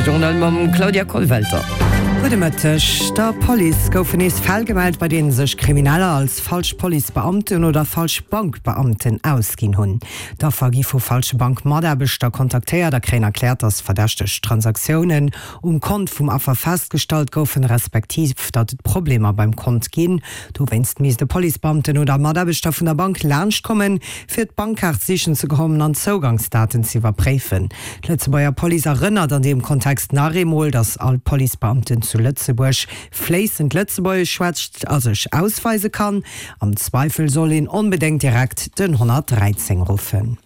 De Journal mam Claudia Kollwelter. Gudde Mëtteg. Der Police goufen nees Fäll gemellt, bei deene sech Krimineller als falsch Policebeamten oder falsch Bankbeamten ausginn hunn. D'Affer gi vu falsche Bankmataarbechter kontaktéiert a kréien erkläert, datt verdächteg Transaktiounen um Kont vum Affer festgestallt goufen, respektiv datt et Problemer beim Kont ginn. Dowéinst misst e Policebeamten oder Mataarbechter vun der Bank laanschtkommen, fir d'Bankkaart sichen ze kommen an d'Zougangsdaten ze iwwerpréifen. D'Lëtzebuerger Police erënnert an deem Kontext nach eemol, datt all Policebeamten zu Lëtzebuerg fléissend Lëtzebuergesch schwätzt a sech ausweise kann. Am Zweifel soll een onbedéngt direkt den 113 ruffen.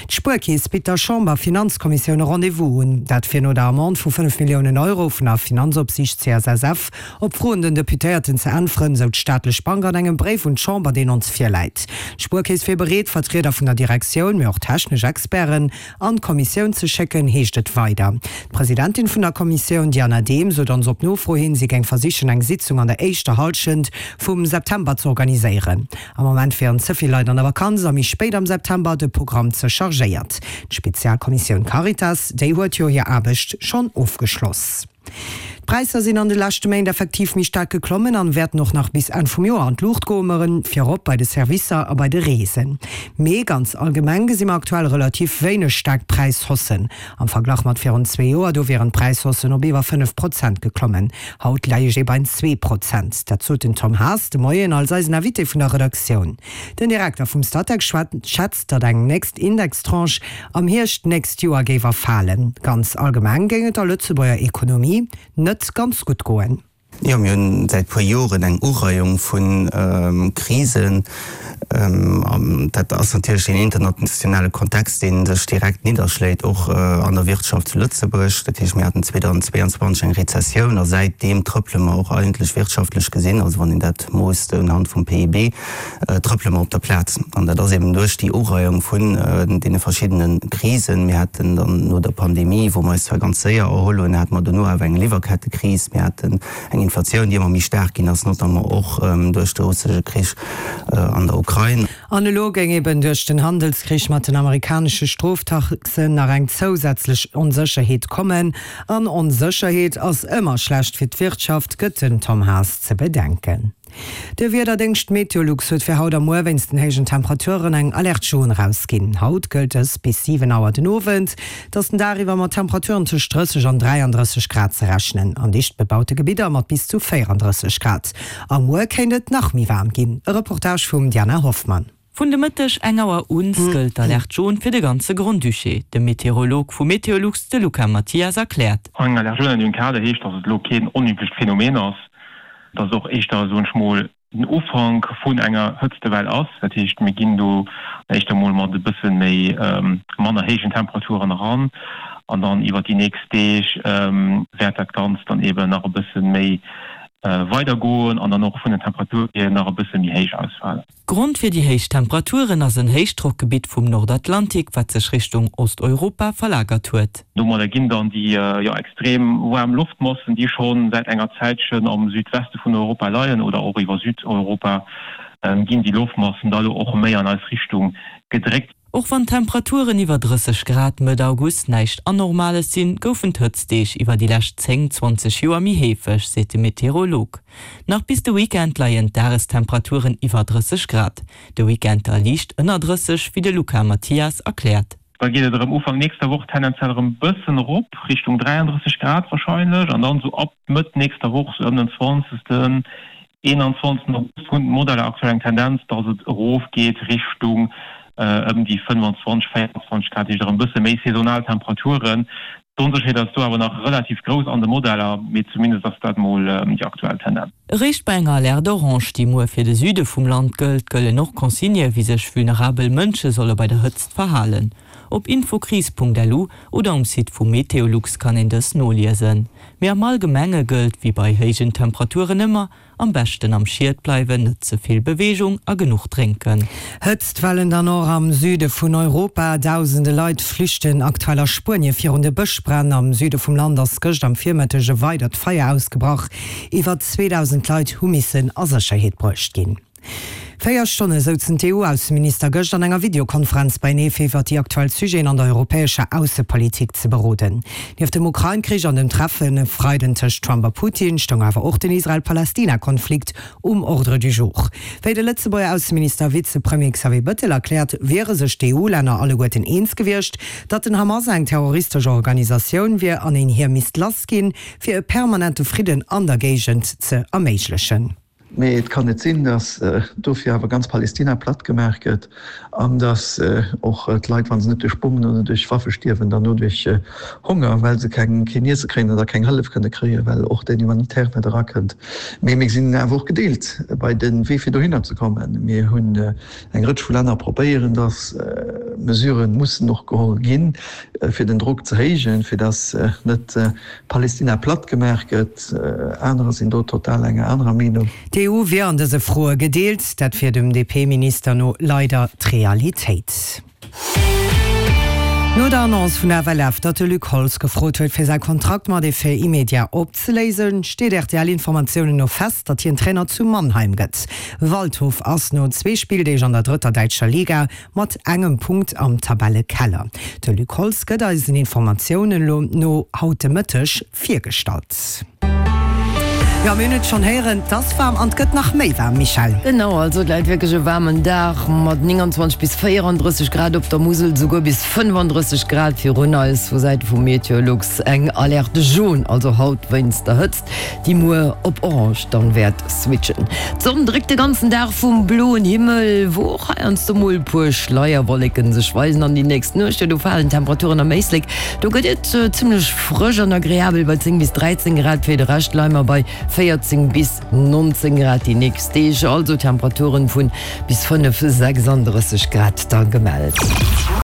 D'Spuerkeess bitt der Chamber-Finanzkommissioun e Rendez-vous un. Dat fir no der Amende vu 5 Milliounen Euro vun der Finanzopsiicht CSSF op Froen den Deputéierten ze äntweren, sou d'staatlech Bank an engem Bréif un d'Chamber, deen ons virläit. D'Spuerkeess wier bereet, Vertrieder vun der Direktioun, mee och technesch Experten an d'Kommissioun ze schécken, heescht et weider. D'Presidentin vun der Kommissioun, Diana Dehm, sot ons op Nofro hin, si géing versichen, eng Sitzung an der éischter Hallschent vum September z'organiséieren. Am Moment wieren ze vill Leit an der Vakanz a méi spéit am September de Programm ze chargéiert. D'Spezialkommissioun Caritas, déi huet jo hir Aarbecht schonn ofgeschloss. D'Präisser sinn an de leschte Méint effektiv méi staark geklommen an wäerten och nach bis Enn vum Joer an d'Luucht goen, virop bei de Servicer a bei de Reesen. Mee ganz allgemeng gesi mer aktuell relativ wéineg staark Präishaussen. Am Verglach mat virun zwee Joer, do wieren d'Präishaussen op iwwer 5 Prozent geklommen. Haut leich ee bein 2%. Dat sot den Tom Haas de Moien als eisen Invité vun der Redaktioun. Den Direkter vum Statec schätzt, datt eng nächst Indextranche am Hierscht d'nächst Joer géif erfalen. Ganz allgemeng géing et der Lëtzebuerger Ekonomie net ganz gutt goen. Jo, mir hunn säit puer Joren eng Ureiung vu Krisen. An dat ass natierlech deen internationale Kontext, dee sech direkt nidderschléit, och an der Wirtschaft zu Lëtzebuerg. Dat heescht, mir haten 2022 eng Rezessioun a säitdeem trëppele mer och eigentlech wirtschaftlech gesinn, also wann een dat moosst unhand vum PIB, trëppele mer op der Plaz. An dat ass eben duerch déi Ureiung vun deene verschiddene Krisen. Mir haten dann no der Pandemie, wou mer eis zwar ganz séier erholl hunn, hate mer dono awer eng Liwwerkettekris. Mir haten eng Inflatioun, déi ëmmer méi staark ginn ass, notamment och duerch de russesche Krich an der Ukrain. An elo géing eben duerch den Handelskrich mat den amerikanesche Stroftaxen nach eng zousätzlech Onsécherheet kommen. An Onsécherheet ass ëmmer schlecht fir d'Wirtschaft, gëtt den Tom Haas ze bedenken. De Wiederdéngscht Meteolux huet fir haut a muer wéinst den héijen Temperaturen eng Alerte jaune erausginn. Haut gëllt dës bis 7 Auer den Owend. Et ass den Dag iwwer mat Temperaturen tëscht 30 an 33 Grad ze rechnen, an dicht bebaute Gebidder mat bis zu 34 Grad. A muer kéint et nach méi waarm ginn. E Reportage vum Diana Hoffmann. Vun de Mëtteg eng Auer un gëllt d'Alerte jaune fir de ganze Grand-Duché. De Meteorolog vu Meteolux, de Luca Mathias, erkläert. Eng Alerte jaune an deem Kader heescht, datt et elo keen onüblecht Phänomen ass, datt et och éischter, soen ech mol, den Ufank vun enger Hëtztewell ass. Dat heescht, mir ginn do éischter mol mat e bësse méi manner héijen Temperaturen eran an dann iwwert déi nächst Deeg wäert dat Ganzt dann eeben nach e bësse méi weidergoen an dann och vun den Temperature hier nach e bësse méi héich ausfalen. Grond fir déi héich Temperaturen ass en Héichdrockgebitt vum Nordatlantik, wat sech Richtung Osteuropa verlagert huet. Domadder ginn dann déi jo extrem waarm Loftmassen, déi scho säit enger Zäitchen am Südweste vun Europa leien oder och iwwer Südeuropa, ginn déi Loftmassen da lo och méi an eis Richtung gedréckt. Och wann d'Temperaturen iwwer 30 Grad Mëtt August näischt Anormales sinn, goufen d'Hëtztdeeg iwwer déi lescht 10, 20 Joer méi heefeg, seet de Meteorolog. Nach bis de Weekend leien d'Dagestemperaturen iwwer 30 Grad, de Weekend da liicht ënner 30, wéi de Luca Mathias erkläert. Da geet et erëm Ufank nächster Woch tendenziell erëm bëssen erop, Richtung 33 Grad warscheinlech, an dann esou ab Mëtt nächster Woch, sou ëm den 20., 21. August, hunn d'Modeller aktuell eng Tendenz, dass et erofgeet Richtung ëm déi 25, 24 Grad, heescht erëm bësse méi saisonal Temperaturen. D'Onsécherheet ass do awer nach relativ grouss an de Modeller, mee zumindest ass dat mol déi aktuell Tendenz. Eréischt bei enger Alerte orange, déi muer fir de Süde vum Land gëllt, gëllen och Consignë wéi sech vulnerabel Mënsche solle bei der Hëtzt verhalen. Op infokris.lu oder um Site vu Meteolux kann een dës noliesen. Mee am Allgemenge gëllt, wéi bei héijen Temperaturen ëmmer, Am beschten am Schied bleiwen, net ze vill Beweegung a genuch drénken. Hëtztwellen dann och am Süde vun Europa. Dausende Leit flüchten aktuell a Spuenie virun de Bëschbränn. Am Süde vum Land ass gëscht am Virmëtteg e weidert Feier ausgebrach. Iwwer 2.000 Leit hu missen a Sécherheet bruecht ginn. 4 Stonne souzen d'EU-Ausseminister gëscht an enger Videokonferenz beienee fir iwwer déi aktuell Sujeten an der europäescher Aussepolitik ze beroden. Nieft dem Ukrain-Krich an dem Treffen e Freiden tëscht Trump a Putin stoung awer och den Israel-Palästina-Konflikt um Ordre du jour. Wéi de Lëtzebuerger Ausseminister a Vizepremier Xavier Bëttel erkläert, wiere sech d'EU-Länner alleguerten eens gewiescht, datt den Hamas eng terroristesch Organisatioun wier an een hir misst lassginn, fir e permanente Fridden an der Géigend ze erméiglechen. Mee et kann net sinn, datt dofir awer ganz Palestina platt gemaach gëtt an datt och d'Leit, wa se net duerch Bommen oder duerch Waffe stierwen, dann no duerch Honger, well se keng keen Iesse kréien oder keng Hëllef kënne kréien, well och den Humanitaire net erakënnt. Mee mir sinn awer och gedeelt bei de Wee fir dohinner ze kommen. Mir hunn eng Rëtsch vu Länner probéieren, datt Mesurë mussen och geholl ginn, fir den Drock ze héijen, fir datt net Palestina platt gemaach gëtt. Anerer sinn do total enger anerer Meenung. D'EU wier an dëse Froe gedeelt. Dat wier dem DP-Minister no leider d'Realitéit. No der Annonce vun der FLF, datt de Luc Holtz gefrot huet, fir säi Kontrakt mat Effet immédiat opzeléisen, steet RTL-Informatiounen no fest, datt hien Trainer zu Mannheim gëtt. Waldhof ass no zwee Spilldeeg an der drëtter däitscher Liga Mat engem Punkt am Tabellekeller. De Luc Holtz gëtt eisen Informatiounen elo no haut de Mëtteg virgestallt. Jo, mir hunn et schonn héieren, 't ass waarm an 't gëtt nach méi waarm, Michèle. Genau, also et läit wierklech e waarmen Dag mat 29 bis 34 Grad op der Musel, souguer bis 35 Grad virun eis. Vu Säite vu Meteolux eng Alerte jaune, also haut wéinst der Hëtzt. déi muer op orange dann wäert switchen. D'Sonn dréckt de ganzen Dag vum bloen Himmel, wou och heiansdo mol e puer Schleierwolleken sech weisen. An déi nächst Nuecht, do falen d'Temperaturen am Éislek, do gëtt et zimmlech frësch an agreabel bei 10 bis 13 Grad. Fir de Rescht leie mer bei 14 bis 19 Grad déi nächst Deeg, also Temperaturen vun bis 5, 36 Grad da gemellt.